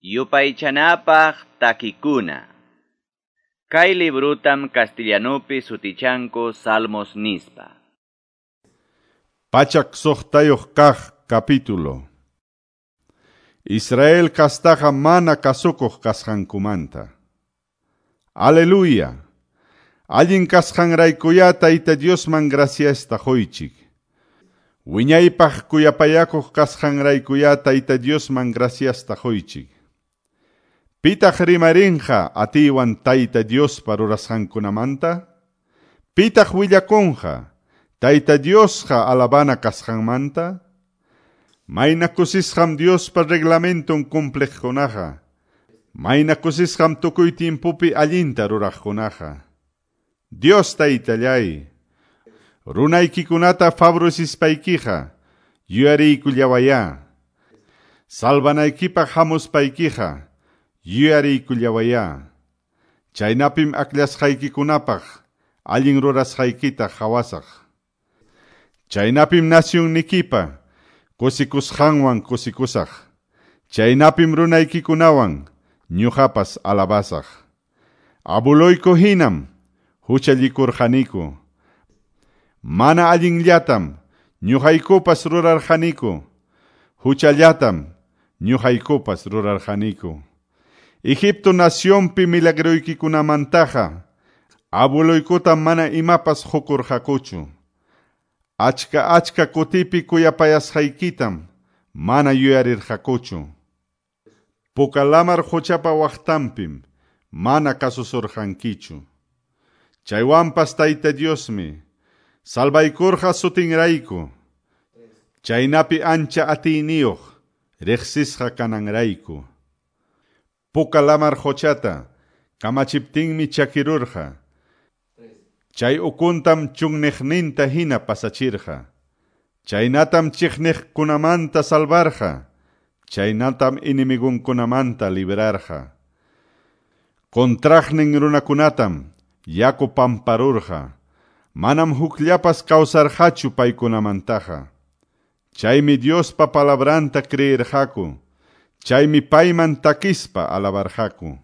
Yupaychanapaq takikuna. Kay librutam castellanupi sutichanku Salmos nispa. 106 kaq capítulo. Israel kastaqa mana kasukuq kasqankumanta. Aleluya. Allin kasqanraykuya Tayta Diosman graciasta quychik. Wiñaypaq kuyapayakuq kasqanraykuya Tayta Diosman graciasta quychik. Pitaq rimarinqa atiywan Tayta Diospa rurasqankunamanta? Pitaq willakunqa Tayta Diosqa alabana kasqanmanta? Mayna kusisqam Diospa reglamenton cumpliqkunaqa. Mayna kusisqam tukuy timpupi allinta ruraqkunaqa. Dios Taytallay, runaykikunata favorecispaykiqa yuyariykullawayá. Salvanaykipaq hamuspaykiqa yuyariykullawayá. Chaynapim akllashqaykikunapaq allin rurasqaykita qhawasaq. Chaynapim nasyunnikipa kusikusqanwan kusikusaq. Chaynapim runaykikunawan ñuqapas alabasaq. Abuloyku hinam huchallikurqaniku. Mana allinllatam ñuqaykupas rurarqaniku. Huchallatam ñuqaykupas rurarqaniku. Egipto nacionpi milagroykikunamantaqa abuloykutam mana imapas qukurqakuchu. Achka achka kutipi kuyapayasqaykitam mana yuyarirqakuchu. Puka lamar quchapa waqtanpim mana kasusurqankichu. Chaywanpas Tayta Diosmi salvaykurqa sutinrayku. Chaynapi ancha atiyniyuq riqsisqa kananrayku. Puka lamar quchata kamachiptinmi chakirurqa. Chay ukuntam chunniqninta hina pasachirqa. Chaynatam chiqniqkunamanta salvarqa. Chaynatam enemigunkunamanta librarqa. Contraqnin runakunatam yaku pamparurqa. Manam hukllapas kawsarqachu paykunamantaqa. Chaymi Diospa palabranta creerqaku. Chaymi payman takispa alabarqaku.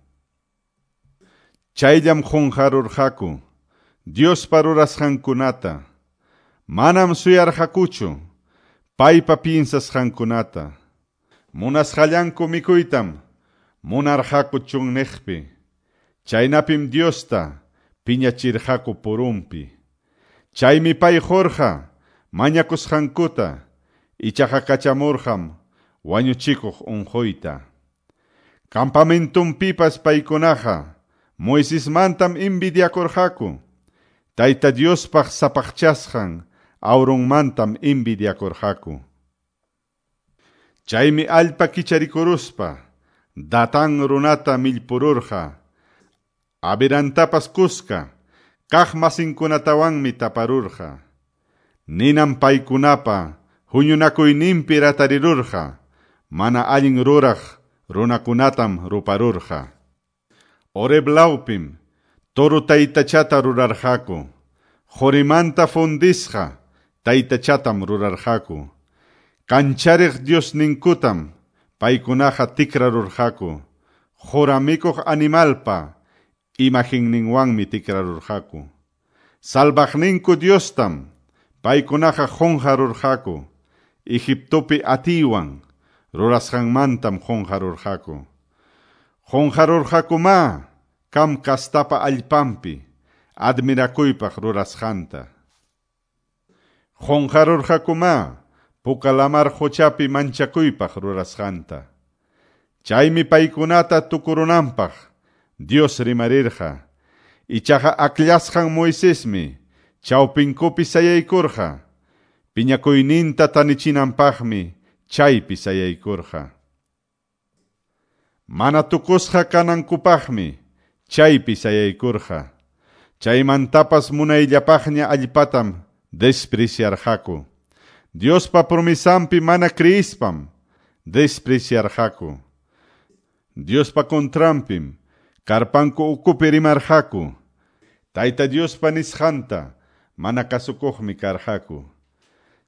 Chayllam qunqarurqaku Diospa rurasqankunata. Manam suyarqakuchu paypa piensasqankunata. Munasqallanku mikuytam munarqaku chunniqpi. Chaynapim Diosta piñachirqaku purunpi. Chaymi pay qurqa mañakusqankuta, ichaqa kachamurqam wañuchikuq unquyta. Campamentunpipas paykunaqa Moisesmantam envidiakurqaku. Tayta Diospaq sapaqchasqan Aaronmantam envidiakurqaku. Chaymi allpa kicharikuruspa Datán runata millpururqa. Abirantapas kuska kaq masinkunatawanmi taparurqa. Ninam paykunapa huñunakuyninpi ratarirurqa. Mana allin ruraq runakunatam ruparurqa. Horeb lawpim toro taytachata rurarqaku. Qorimanta fundisqa taytachatam rurarqaku. Kanchariq Diosninkutam paykunaqa tikrarurqaku. Qoramikuq animalpa imagenninwanmi tikrarurqaku. Salvaqninku Diostam paykunaqa qunqarurqaku. Egiptopi atiywan rurasqanmantam qunqarurqaku. Qunqarurqakumá Cam kastapa allpanpi admirakuypaq rurasqanta. Qunqarurqakumá Puka lamar quchapi manchakuypaq rurasqanta. Chaymi paykunata tukurunanpaq Dios rimarirqa. Ichaqa akllasqan Moisesmi chawpinkupi sayaykurqa. Piñakuyninta tanichinanpaqmi chaypi sayaykurqa. Mana tukusqa kanankupaqmi chaypi sayaykurqa. Chaymantapas munayllapaqña allpatam despreciarqaku. Diospa promesanpi mana creyispam despreciarqaku. Diospa contranpim karpanku ukupi rimarqaku. Tayta Diospa nisqanta mana kasukuqmi karqaku.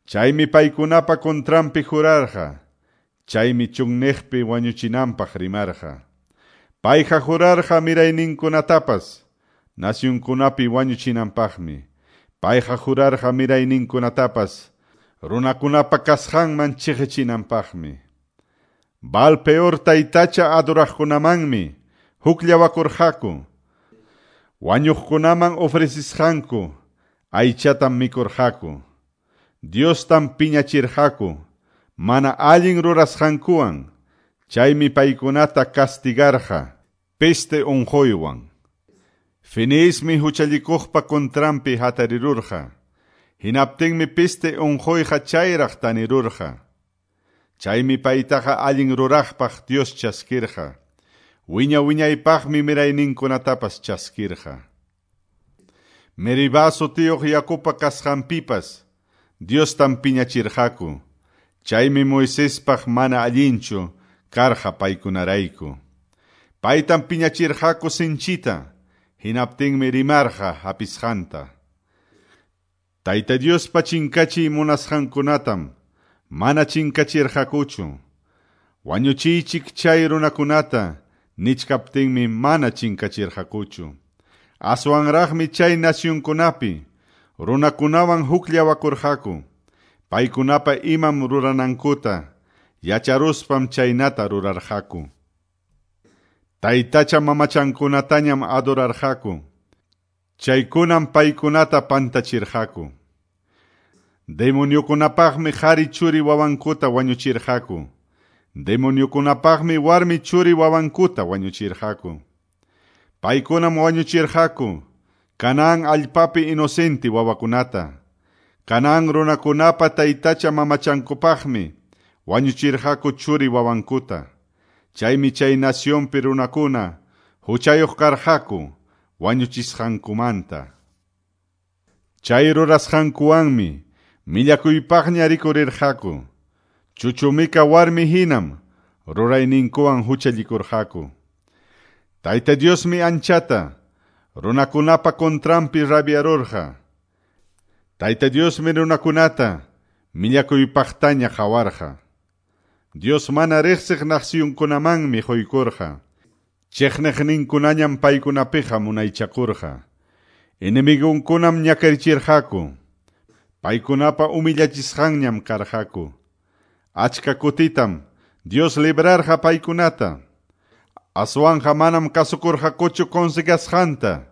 Chaymi paykunapa contranpi jurarqa. Chaymi chunniqpi wañuchinanpaq rimarqa. Payqa jurarqa mirayninkunatapas nacionkunapi wañuchinanpaqmi. Payqa jurarqa mirayninkunatapas runakunapa kasqanman chiqichinanpaqmi. Baal Peor taytacha adoraqkunamanmi hukllawakurqaku. Wañuqkunaman ofrecisqanku aychatam mikurqaku. Diostam piñachirqaku mana allin rurasqankuwan. Chaymi paykunata castigarqa peste unquywan. Fineesmi huchallikuqpa contranpi hatarirurqa. Hinaptinmi peste unquyqa chayraq tanirurqa. Chaymi paytaqa allin ruraqpaq Dios chaskirqa. Wiña wiñaypaqmi mirayninkunatapas chaskirqa. Meribá sutiyuq yakupa kasqanpipas Diostam piñachirqaku. Chaymi Moisespaq mana allinchu karqa paykunarayku. Paytam piñachirqaku sinchita, hinaptinmi rimarqa hapisqanta. Tayta Diospa chinkachiy munasqankunatam mana chinkachirqakuchu. Wañuchiychik chay runakunata nichkaptinmi mana chinkachirqakuchu. Aswanraqmi chay nacionkunapi runakunawan hukllawakurqaku. Paykunapa imam ruranankuta yacharuspam chaynata rurarqaku. Taytacha mamachankunatañam adorarqaku. Chaykunam paykunata pantachirqaku. Demoniokunapaqmi qhari churi wawankuta wañuchirqaku. Demoniokunapaqmi warmi churi wawankuta wañuchirqaku. Paykunam wañuchirqaku Canaán allpapi inocente wawakunata. Canaán runakunapa taytacha mamachankupaqmi wañuchirqaku churi wawankuta. Chaymi chay nacionpi runakuna huchayuq karqaku wañuchisqankumanta. Chay rurasqankuwanmi millakuypaqña rikurirqaku. Chuchumika warmi hinam rurayninkuwan huchallikurqaku. Tayta Diosmi anchata runakunapa contranpi rabiarurqa. Tayta Diosmi runakunata millakuypaqtaña qawarqa. Dios mana riqsiq nacionkunamanmi quykurqa. Chiqniqninkunañam paykunapiqa munaychakurqa. Enemigunkunam ñakarichirqaku. Paykunapa humillachisqanñam karqaku. Achka kutitam Dios librarqa paykunata. Aswanja manam kasukurqakuchu consegasqanta.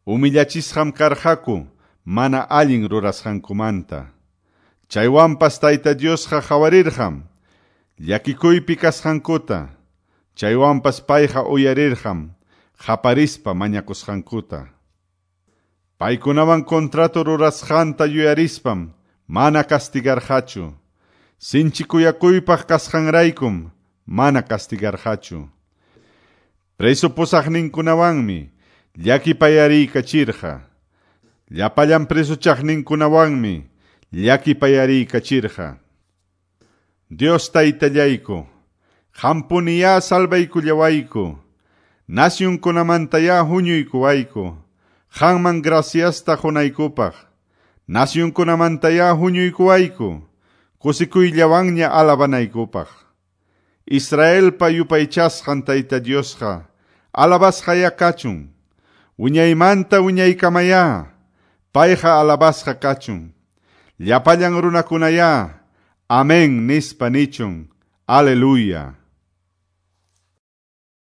Humillachisqam karqaku mana allin rurasqankumanta. Chaywanpas Tayta Diosqa qawarirqam llakikuypi kasqankuta. Chaywanpas payqa uyarirqam qaparispa mañakusqankuta. Paykunawan contrato rurasqanta yuyarispam mana castigarqachu. Sinchi kuyakuypaq kasqanraykum mana castigarqachu. Preso pusaqninkunawanmi llakipayariykachirqa. Llapallan presochaqninkunawanmi llakipayariykachirqa. Dios taytallayku, qampuniyá salvaykullawayku, nacionkunamantayá huñuykuwayku, qanman graciasta qunaykupaq, nacionkunamantayá huñuykuwayku, kusikuyllawanña alabanaykupaq. Israelpa yupaychasqan Tayta Diosqa alabasqayá kachun, wiñaymanta wiñaykamayá, payqa alabasqa kachun. Llapallan runakunayá, amén nispa nichun. Aleluya.